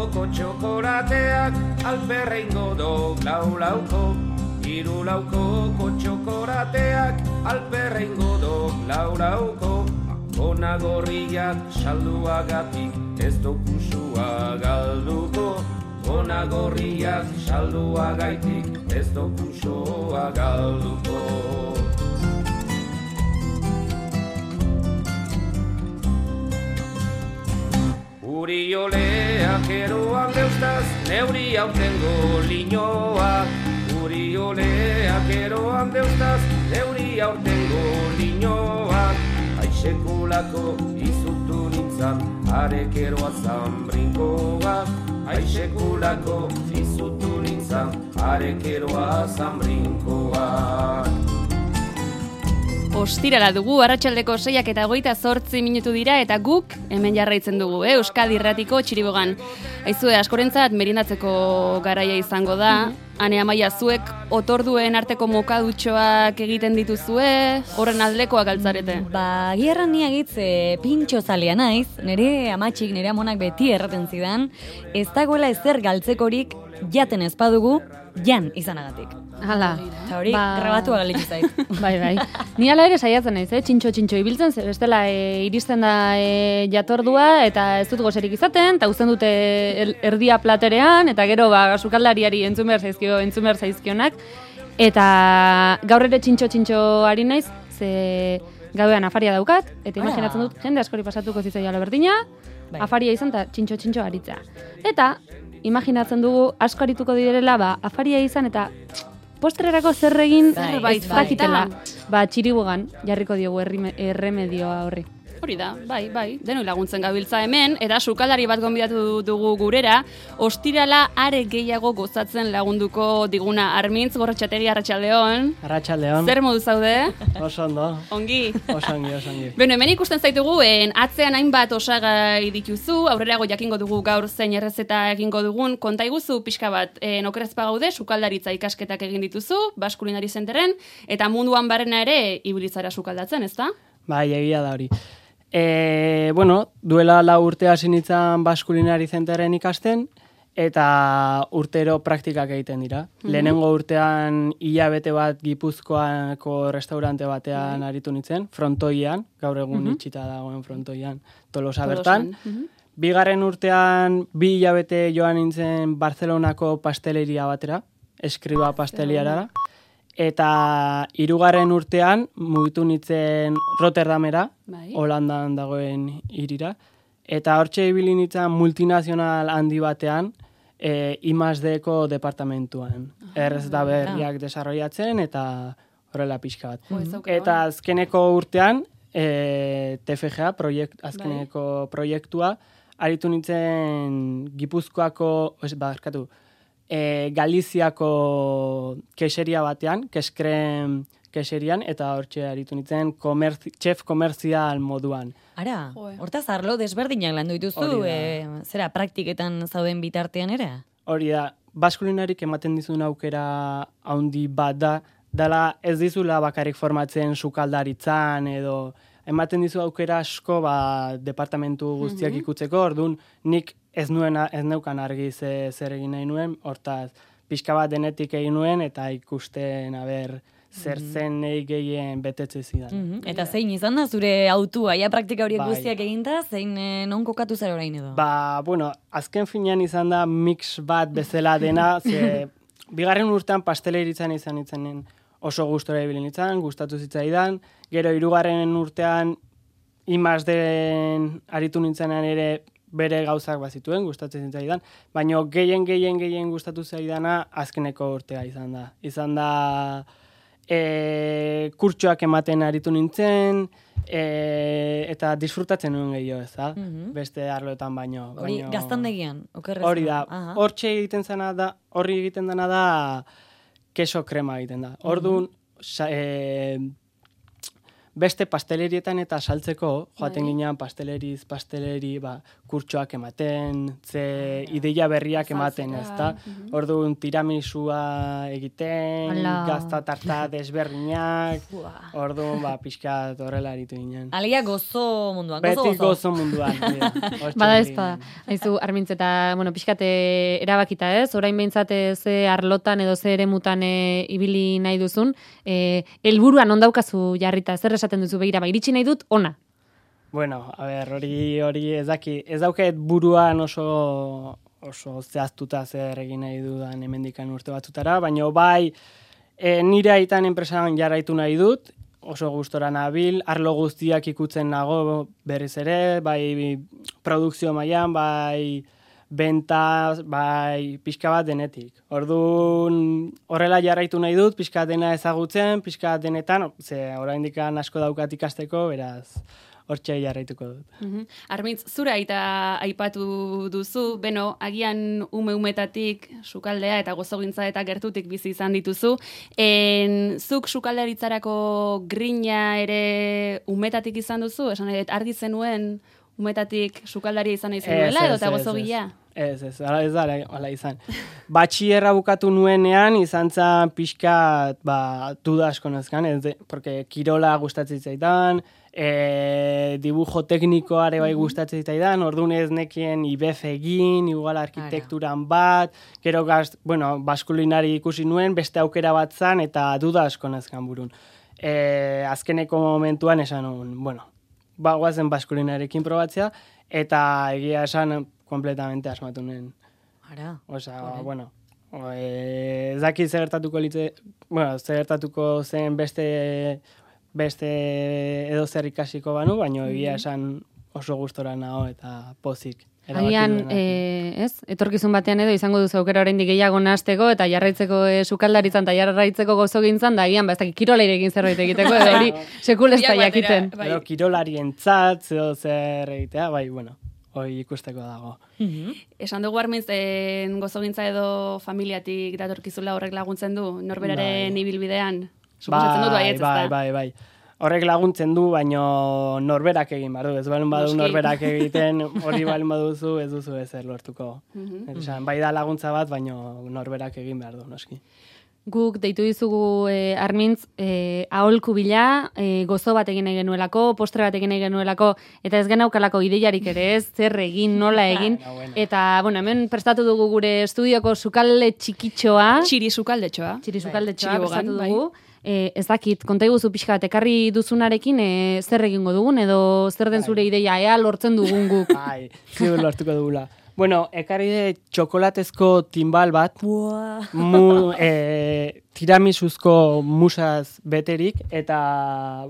laukoko txokolateak alperreingo dok lau-lauko. Hiru laukoko txokolateak alperreingo dok lau-lauko. Ona gorriak salduagatik ez dokusua galduko. Ona gorriak salduagaitik ez dokusua galduko. Urioleak eroan deustaz, neuri aurtengo linoa. Urioleak eroan deustaz, neuri aurtengo linoa. Aisekulako izutu nintzan, arekeroa zambrinkoa. Aisekulako izutu nintzan, arekeroa zambrinkoa. Ostirala dugu, arratsaldeko 6:28 minutu dira eta guk hemen jarraitzen dugu, Euskadi Irratiko Txiribogan. Aizue, askorentzat merindatzeko garaia izango da. Ane Amaia, zuek otorduen arteko mokadutxoak egiten dituzue, horren aldekoak altzarete? Ba, gierran ni agitz pintxo zalea naiz, nire amatxik, nire amonak beti erraten zidan, ez dagoela ezer galtzekorik jaten ez badugu, jan izanagatik. Hala. Eta hori, grabatua galitu zait. Bai. Ni ala ere saiatzen naiz, txintxo ibiltzen, bestela iristen da jatordua, eta ez dut gozerik izaten, eta uzten dute erdia platerean, eta gero sukaldariari entzun behar zaizkionak, eta gaur ere txintxo ari naiz, ze gauean afaria daukat, eta imaginatzen dut, jende askori pasatuko zitzaiala berdina, afaria izan eta txintxo aritza. Eta imaginatzen dugu asko arituko direla, afaria izan eta postrerako zer egin ez dakitela. Txiribogan jarriko diogu erremedioa horri. Hori da, bai, denoi laguntzen gabiltza hemen, eta sukaldari bat gonbidatu dugu gurera, ostirala are gehiago gozatzen lagunduko diguna Armintz Gorrotxategi, arratsaldeon. Arratsaldeon. Zer modu zaude? Oso ondo. Ongi. Osongi. Beno, hemen ikusten zaitugu, atzean hainbat osagai dituzu, aurrerago jakingo dugu gaur zein errezeta egingo dugun, konta iguzu pixka bat, okerrezpa gaude, sukaldaritza ikasketak egin dituzu, Basque Culinary Centeren, eta munduan barrena ere ibilitzara sukaldatzen, ezta? Bai, egia da hori. Duela 4 urte hasi nintzen Basque Culinary Centeren ikasten, eta urtero praktikak egiten dira. Lehenengo urtean hilabete bat Gipuzkoako restaurante batean aritu nintzen, frontoian, gaur egun itxita dagoen frontoian, Tolosa bertan. Bigarren urtean 2 hilabete joan nintzen Barcelonako pasteleria batera, Eskriba pasteliarara. Eta 3. urtean mugitu nintzen Rotterdamera, Holandan dagoen hirira. Eta hortxe ibili nintzen multinazional handi batean, I+D-ko departamentuan. Errez da berriak desarrollatzen eta horrela pixka bat. Eta azkeneko urtean, TFGA, azkeneko proiektua, aritu nintzen Gipuzkoako, Galiziako kexeria batean, Keskrem kexerian, eta hortxe aritu nintzen chef komerzial moduan. Ara, hortaz arlo desberdinak landu dituzu, zera praktiketan zauden bitartean ere? Hori da, Basque Culinariek ematen dizun aukera handi bat da, dela ez dizula bakarrik formatzen sukaldaritzan edo ematen dizu aukera asko departamentu guztiak ikutzeko, orduan nik ez neukan argi zer egin nahi nuen, hortaz pixka bat denetik egin nuen eta ikusten zer zen nahi gehien betetze zidan. Eta zein izan da zure autua, praktika horiek guztiak eginda, zein non kokatu zara orain edo? Azken finean izan da mix bat bezala dena, ze bigarren urtean pasteleritzan izan nintzenen oso gustora ibili nintzen, gustatu zitzaidan, gero 3. urtean I+D-en aritu nintzenan ere bere gauzak bazituen, gustatzen zitzaidan, baina gehien gustatu zaidana azkeneko urtea izan da. Izan da kurtsoak ematen aritu nintzen, eta disfrutatzen nuen gehiago, ez da? Beste arloetan baino. Hori gaztandegian, okerrez? Hori da, horri egiten dena da keso krema egiten da. Orduan, beste pastelerietan eta saltzeko, joaten ginean pasteleri, kurtsoak ematen, ideia berriak ematen, ezta? Orduan tiramisua egiten, gazta tarta desberdinak, orduan pixkat horrela aritu ginen. Alia gozo munduan, Beti gozo munduan. Bada ez bada. Haizu, Armintz, eta, pixkate erabakita ez, orain behintzat ze arlotan edo ze eremutan ibili nahi duzun, helburuan ondaukazu jarrita, zer esaten duzu begira, iritsi nahi dut, ona. Bueno, a ber, hori ez dauket buruan oso zehaztuta zer egin nahi dudan hemendikan urte batzutara, baina bai nire aitan enpresan jarraitu nahi dut, oso gustora nabil, arlo guztiak ikutzen nago berriz ere, bai produkzio mailan, bai benta, bai pixka bat denetik. Orduan horrela jarraitu nahi dut, pixka dena ezagutzen, pixka denetan, oraindik asko daukat ikasteko, beraz hortxe jarraituko dut. Armintz, zure aita aipatu duzu, beno, agian umetatik sukaldea eta gozogintza eta gertutik bizi izan dituzu. Zuk sukaldaritzarako grina ere umetatik izan duzu? Esan nahi, argi zenuen umetatik sukaldaria izan nahi zenuela edo eta gozogila? Ez, ala izan. Batxierra bukatu nuenean, izan zan pixka, duda asko nezkan, porque kirola gustatzen zaidan, dibujo teknikoare bai gustatzen zaidan, orduan ez nekien IBF egin, igual arkitekturan bat, gero baskulinari ikusi nuen, beste aukera bat zan, eta duda asko nezkan burun. Azkeneko momentuan esan nuen, guazen baskulinarekin probatzea, eta egia esan kompletamente asmatu nuen. Ara. Ez daki zertatuko zen beste edo zer ikasiko banu, baina egia esan oso gustora nago eta pozik. Agian, etorkizun batean edo izango duzu aukera oraindik gehiago nahasteko eta jarraitzeko sukaldaritzan eta jarraitzeko gozogintzan, da agian, ez dakit kirolaire egin zerbait egiteko, edo hori sekul ez da jakiten. Edo kirolarien-tzat, edo zer egitea, hori ikusteko dago. Esan dugu Armintz, gozogintza edo familiatik datorkizula horrek laguntzen du, norberaren ibilbidean? Suposatzen dut baietz, ezta? Bai. Horrek laguntzen du, baino norberak egin behar du. Ez balen badu norberak egiten, hori balen baduzu, ez duzu ezer lortuko. Bai da laguntza bat, baino norberak egin behar du, noski. Guk deitu dizugu Armintz, aholku bila, gozo bat egin nahi genuelako, postre bat egin nahi genuelako, eta ez genaukalako ideiarik ere ez, zer egin, nola egin. Eta, hemen prestatu dugu gure estudioko sukalde txikitxoa. Txiri sukaldetxoa prestatu dugu. Ez dakit, konta iguzu pixka bat, ekarri duzunarekin zer egingo dugun, edo zer den zure ideia, ea lortzen dugun guk. Ziur lortuko dugula. Ekarri de txokolatezko timbal bat, tiramisuzko musaz beterik, eta,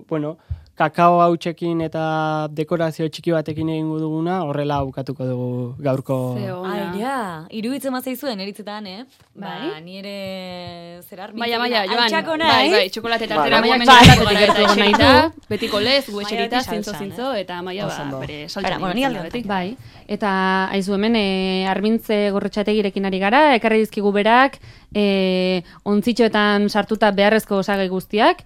kakao hautsekin eta dekorazio txiki batekin egingo duguna, horrela bukatuko dugu gaurko. Iruditzen mazaizuen eritzetan, ni ere zerar. Maia, Joan. Bai, txokolate tartera guamen betiko lez, guetxerita, zintzo, eta Maia bere saltzen. Bai, eta haizu hemen, Armintz Gorrotxategirekin ari gara, ekarri dizkigu berak, ontzitxoetan sartuta beharrezko osagai guztiak,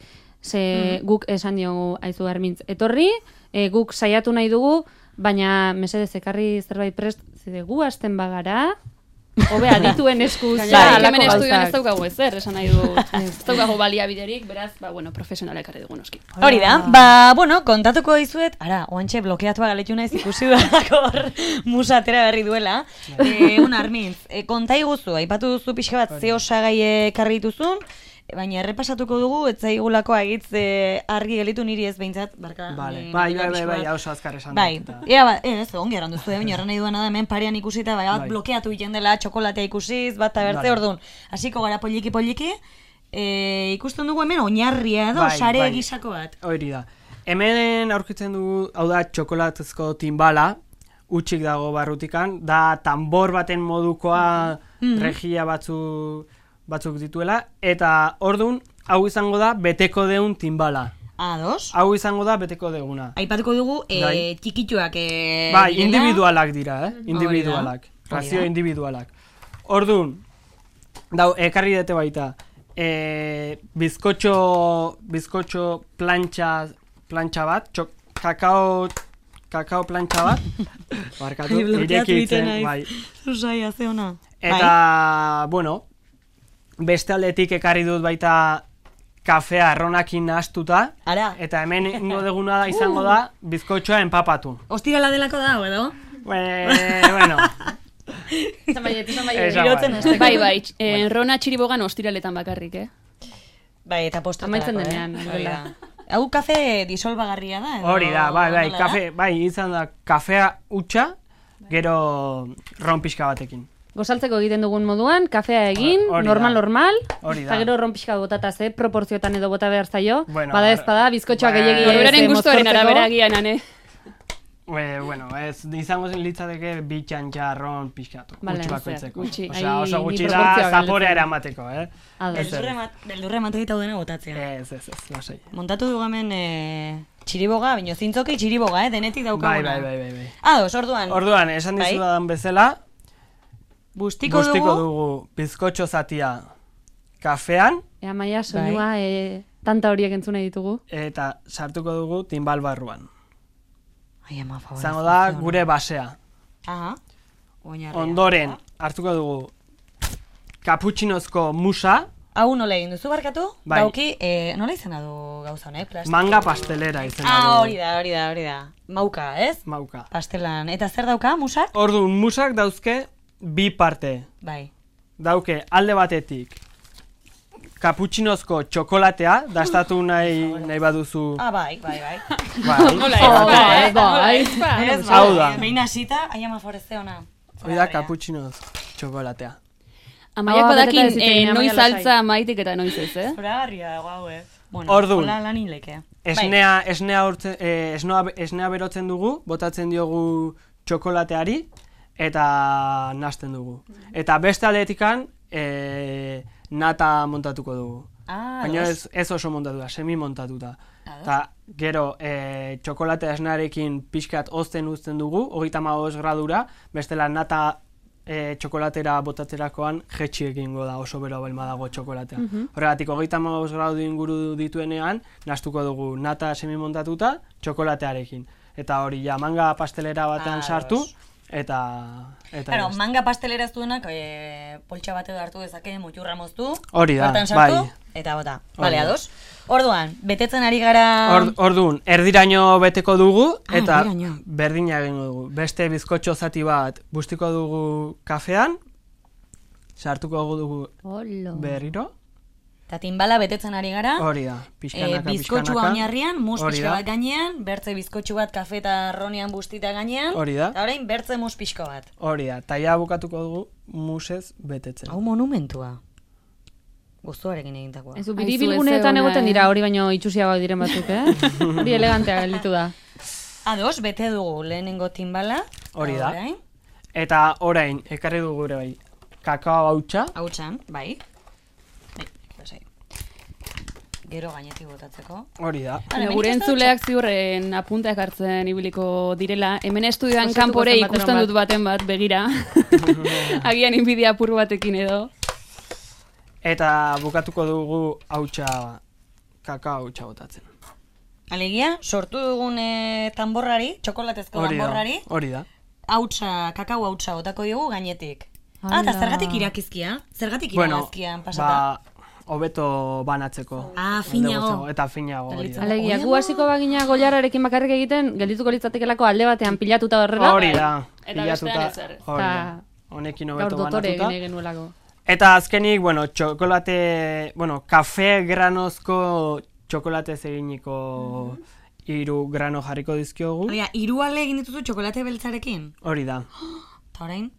guk esan diogu haizu Armintz etorri, guk saiatu nahi dugu, baina mesedez ekarri zerbait prest, zide gu hasten bagara, hobea dituen eskuz. Hemen estudioan ez daukagu ezer, esan nahi du. Ez daukagu baliabiderik, beraz, profesionala ekarri dugu noski. Hori da, kontatuko dizuet, oantxe blokeatua galetu naiz ikusi hor musatera berri duela. Armintz, konta iguzu, aipatu duzu pixka bat ze osagai ekarri dituzun, baina errepasatuko dugu, ez zaigulako agitz argi gelitu niri ez behintzat, barka. Bai, oso azkar esan dut. Bai, ez, ongi erran duzu, baina erran nahi duena da, hemen parean ikusita, blokeatu egiten dela, txokolatea ikusiz, bat abertze, orduan, hasiko gara poliki, ikusten dugu hemen oinarria edo, sare gisako bat. Hori da. Hemen aurkitzen dugu, hau da, txokolatezko timbala, utxik dago barrutikan, da tambor baten modukoa regia batzuk dituela, eta ordun hau izango da beteko deun timbala. Ados? Hau izango da beteko deuna. Aipatuko dugu txikituak individualak dira, individualak. Razio individualak. Ordun, ekarri dute baita, bizkotxo plantxa bat, kakao kakao plantxa bat, barkatu, irekitzen, bai. Zuzaia, ze ona. Eta, bueno, beste aldetik ekarri dut baita kafea arronakin nahastuta, Ara. eta hemen ingo deguna izango da bizkotxoa empapatu. Ostirala delako da, edo? Bueno, Izan baiet. Irotzen Bai, Rona Txiribogan ostiraletan bakarrik, Bai, eta postratarako, Amaitzen denean, Hori da. Hau kafe disolbagarria da, edo? hori da, bai, nola da? kafe, bai, izan da kafea hutsa, gero ron pixka batekin. Gozaltzeko egiten dugun moduan, kafea egin, Hori da. normal, Hori da. eta gero ron pixka botata ze proporziotan edo bota behar zaio, Bueno, bada ez bada, bizkotxoak bai. gehiegi Norberaren gustuaren arabera gian, ane. Bueno, ez izango litzateke bi txantxa ron pixkatu, Vale, gutxi bakoitzeko. gutxi. Osea, oso Ai, gutxi ni da proportzioak zaporea galdetzen. eramateko, Beldurre emateko dena botatzea. Ez, lasai. Montatu dugu hemen txiriboga, bino zintzoki txiriboga, denetik Bai, daukaguna. bai. Ados, orduan, Orduan, esan Bai. dizudan bezala, bustiko bustiko dugu, dugu bizkotxo zatia kafean, Ea maia, soinua, tanta horiek entzune ditugu. eta sartuko dugu timbal barruan. Ai, ama, favor. Izango da gure basea. Aha. Oinarria. Ondoren, hartuko dugu kaputxinozko musa, Hau nola egin duzu barkatu? Bai. Dauki, nola izena du gauza honek? Plastiko? manga pastelera izena du. Hori da. Mauka, ez? Mauka. Pastelan. Eta zer dauka, musak? Orduan, musak dauzke bi parte. Bai. Dauke alde batetik kaputxinozko txokolatea, dastatu nahi baduzu. Bai. Bai. Hau da. Behin hasita, ai ama foreste ona. Hori da kaputxinoz txokolatea. Amaiak beteta badakin eziten, noiz Amaia altza maitik eta noiz ez, Zoragarria dago hau, Bueno, Orduan. hola lan hileke. Esnea berotzen dugu, botatzen diogu txokolateari, eta nasten dugu. Eta beste aldetikan, nata montatuko dugu. Baina ez oso montatuta, semi montatuta. Eta gero txokolatea esnearekin pixkat ozten uzten dugu, 35 gradura, bestela nata txokolatera botatzerakoan jetxi egingo da oso bero balma dago txokolatea. Horregatik 35 gradu inguru dituenean, nastuko dugu nata semi montatuta txokolatearekin. Eta hori ja manga pastelera batean sartu, eta Claro, manga pastelera ez duenak, poltsa bat edo hartu dezake, muturra moztu, hori da, bertan sartu, bai. eta bota. Hori Bale, da. ados? Orduan, betetzen ari gara... Orduan, erdiraino beteko dugu, eta erdiraino. berdina egingo dugu. Beste bizkotxo zati bat bustiko dugu kafean, sartuko dugu berriro, Eta timbala betetzen ari gara, hori da, pixkanaka, bizkotxua oinarrian, mus Hori pixka da. bat gainean, bertze bizkotxu bat kafe eta ronian bustita gainean, Hori da. eta orain bertze mus pixko bat. Hori da, taia bukatuko dugu musez betetzen. Hau monumentua. Guztuarekin egintakoa. Ez du, Aizu, biribilguneetan ez egoten ona, dira hori baino itxusiagoak diren batzuk, Hori elegantea gelditu da. Ados, bete dugu lehenengo timbala. Hori eta da. orain, Eta orain, ekarri dugu ere bai, kakao hautsa, hautsan, bai. Lasai. Gero gainetik botatzeko. hori da. Gure entzuleak ziurren apunteak hartzen ibiliko direla. Hemen estudioan Osatuko kanpore zen ikusten bateron dut baten bat, begira. Agian inbidia apur batekin edo. Eta bukatuko dugu hautsa, kakao hautsa botatzen. Alegia, sortu dugun tamborrari, txokolatezko tamborrari, Hori da. hautsa, kakao hautsa botako diogu gainetik. Hala. Eta zergatik irakizkia? Zergatik iragazkian pasata? Hobeto banatzeko. Finago. Eta finago, hori da. Alegia, gu hasiko bagina goiararekin bakarrik egiten, geldituko litzatekelako alde batean pilatuta horrela. Hori da. Eta bestean ezer. Hori da. Eta Honekin gaur hobeto dotore banatuta. egin genuelako. Eta azkenik, kafe granozko txokolatez eginiko 3 grano jarriko dizkiogu. Oia, 3 ale egin dituzu txokolate beltzarekin? Hori da. Eta orain?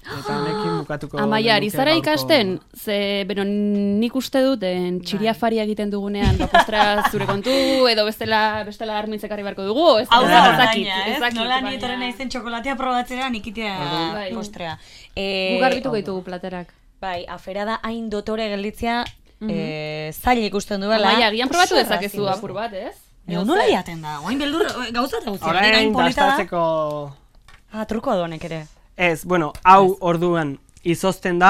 Eta honekin bukatuko Amaia, ari genuke zara gaurko- ikasten? Ze, nik uste dut, txiriafaria egiten dugunean, postra zure kontu, edo bestela armintzekarri beharko dugu, ez Hau da, ez dakit, baina, ez ez? dakit, Nola baina- nietorren naizen txokolatea probatzera nikitea Bai. postrea. Gu garbituko ditugu platerak. Bai, afera da hain dotore gelditzea zaila ikusten duela. Amaia, agian probatu Oso dezakezu errazi apur bat, ez? Edo nola jaten da, oain beldur gauza eta guztia. Orain Gain polita da. dastatzeko... Truko adonek ere. Ez, hau orduan izozten da,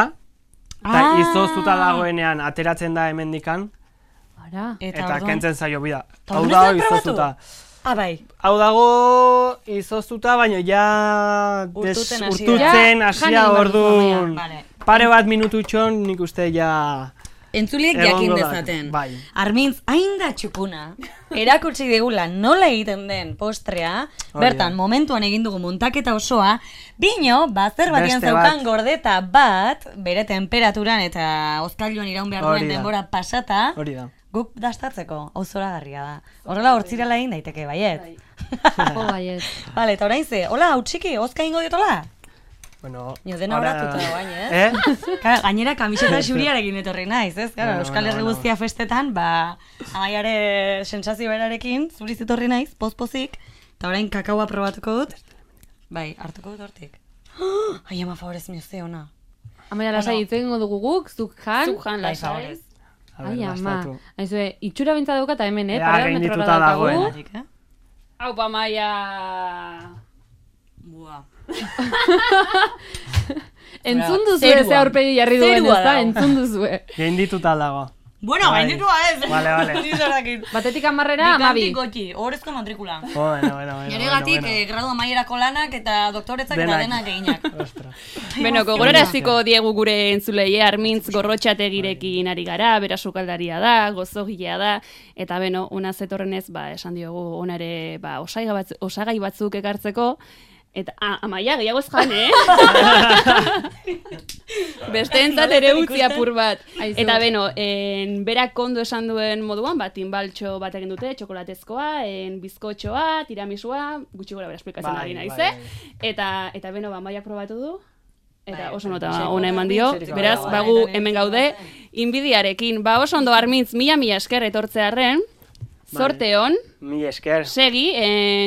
eta izoztuta dagoenean ateratzen da hemendikan, Ara. eta orduan- kentzen zaio bida. Ta Hau hori da ez da izoztuta. Bai. Hau dago izoztuta, baina ja Urtutzen hasi da. urtutzen Ja, hasia jani orduan. Vale. Pare bat minututxon nik uste ja... Entzuliek egongo jakin da. dezaten. Bai. Armintz, hain da txukuna, erakutsi digula nola egiten den postrea, Hori bertan, da. momentuan egin dugu muntaketa osoa, bino, zer batian Beste zeukan bat. gordeta bat, bere temperaturan eta hozkailuan iraun behar Hori duen da. denbora pasata, Hori da. guk dastatzeko, hau zoragarria da. Horrela hortzirala egin daiteke, baiet. Baiet. Vale, eta orain ze, hola, hau txiki, hozka ingo diotola? Bueno, Nio dena ahora- horatuta dagoain, Claro, gainera kamiseta xuriarekin etorri naiz, ez? Claro, Bueno, Euskal Herri bueno, guztia festetan, amaiare sensazio berarekin, zuriz etorri naiz, pozik, eta orain kakaoa probatuko dut. Bai, hartuko dut hortik. Ai, ama, favorez mioze ona. Amaia lasai hitz egingo dugu guk, zuk jan. Zuk jan Bai, lasai. favorez. A ber, Ai, ama. bastatu. Aizue, itxura bintza daukata hemen, Ea, parean gaindituta metrora daukagu. dagoen. Batik, Hau pa maia... Buah. Entzun duzu Zerua. ze aurpegi jarri duen, Zerua ez da? dago. Entzun duzu. Gaindituta dago. Bueno, Bai. gainditua ez. Vale, vale. Nizorakin. Batetik amarrera, amabi. Bikantik gotxi, horrezko matrikula. Bueno. Neregatik, gradu amaierako lanak eta doktoretzak eta denak eginak. Ostras. Beno, gogoraraziko diegu gure entzulei, Armintz gorrotxategirekin ari gara, bera sukaldaria da, gozogilea da, eta beno, una zetorrenez, esan diogu, ona ere, osagai batzuk ekartzeko, eta, Amaia, gehiago ez jan, Besteentzat ere utzi apur bat. Aizu. Eta beno, berak kondo esan duen moduan, tinbaltxo bat egin dute, txokolatezkoa, bizkotxoa, tiramisua, gutxi gora bera esplikatzen Bai, ari naiz, bai, Eta beno, Amaiak probatu du, eta Bai, oso nota bai. ona eman dio, beraz, Bai, bagu bai, hemen gaude, inbidiarekin. Oso ondo Armintz, mila esker etortzearren, zorte hon, Mi esker. segi,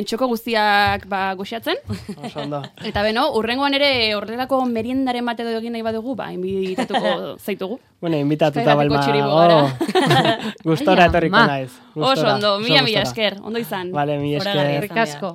txoko guztiak goxatzen, Oso ondo. eta beno, urrengoan ere horrelako meriendaren bat edo egin nahi badugu, inbitatuko zaitugu. Bueno, invitatuta Euskal Herriko txuribo balma. Gustora Ai, etorriko ama. naiz. Oso ondo, mila gustora. esker, ondo izan. Vale, mi Zoragarria esker. izan. Rikasko.